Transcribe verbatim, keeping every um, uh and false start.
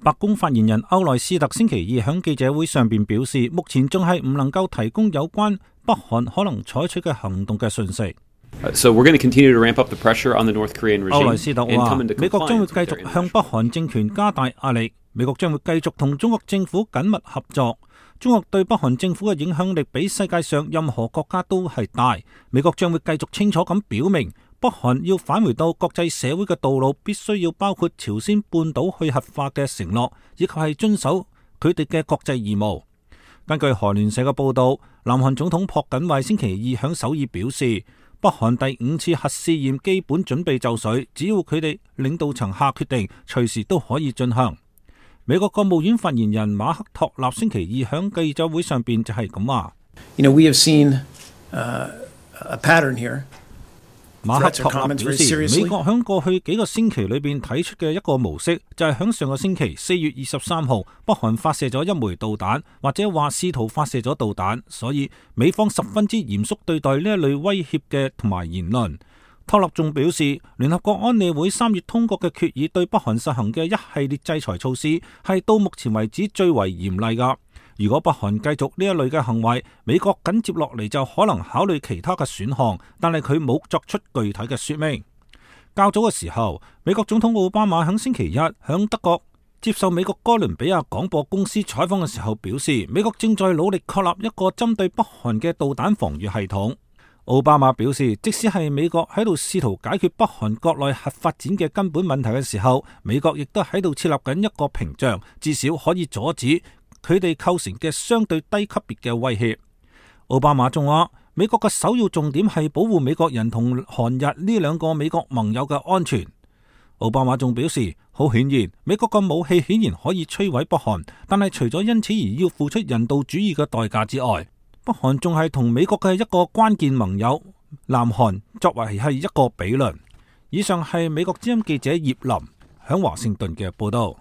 白宮發言人歐萊斯特星期二喺記者會上邊表示，目前仲係唔能夠提供有關北韓可能採取嘅行動嘅訊息。So we're going to continue to ramp up the pressure on the North Korean regime. 歐萊斯特話，美國將會繼續向北韓政權加大壓力，美國將會繼續同中國政府緊密合作。中國對北韓政府嘅影響力比世界上任何國家都係大，美國將會繼續清楚咁表明，北韓要返回到國際社會嘅道路，必須要包括朝鮮半島去核化嘅承諾，以及係遵守佢哋嘅國際義務。根據韓聯社嘅報道，南韓總統朴槿惠星期二響首爾表示，北韓第五次核試驗基本準備就緒，只要佢哋領導層下決定，隨時都可以進行。美國國務院發言人馬克托納星期二響記者會上邊就係咁話。You know, we have seen, uh, a pattern here. 馬克托納表示，美國響過去幾個星期裏邊睇出嘅一個模式，就係響上個星期四月二十三號，北韓發射咗一枚導彈，或者話試圖發射咗導彈，所以美方十分之嚴肅對待呢一類威脅嘅同埋言論。托納仲表示，聯合國安理會三月通過嘅決議對北韓實行嘅一系列制裁措施係到目前為止最為嚴厲噶。如果北韓繼續呢一類嘅行為，美國緊接落嚟就可能考慮其他嘅選項，但係佢冇作出具體嘅說明。較早嘅時候，美國總統奧巴馬喺星期一響德國接受美國哥倫比亞廣播公司採訪嘅時候表示，美國正在努力確立一個針對北韓嘅導彈防禦系統。奧巴馬表示，即使係美國喺度試圖解決北韓國內核發展嘅根本問題嘅時候，美國亦都喺度設立緊一個屏障，至少可以阻止佢哋構成嘅相對低級別嘅威脅。奧巴馬仲話，美國嘅首要重點係保護美國人同韓日呢兩個美國盟友嘅安全。奧巴馬仲表示，好顯然，美國嘅武器顯然可以摧毀北韓，但係除咗因此而要付出人道主義嘅代價之外，北韓仲係同美國嘅一個關鍵盟友南韓作為係一個比鄰。以上係美國之音記者葉林響華盛頓嘅報道。